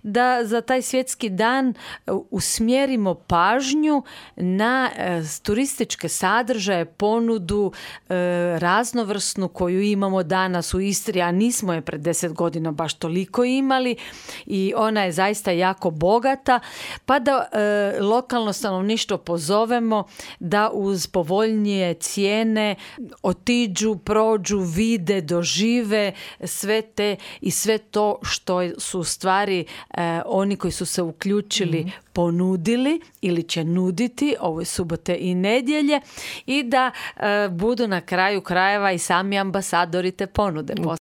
da za taj svjetski dan usmjerimo pažnju na turističke sadržaje, ponudu raznovrsnu koju imamo danas u Istri, a nismo je pred 10 godina baš toliko imali i ona je zaista jako bogata, pa da lokalno stanovništvo pozovemo da uz povoljnije cijene otiđu, prođu, vide, dožive sve to što su u stvari oni koji su se uključili ponudili ili će nuditi ove subote i nedjelje i da budu na kraju krajeva i sami ambasadori te ponude.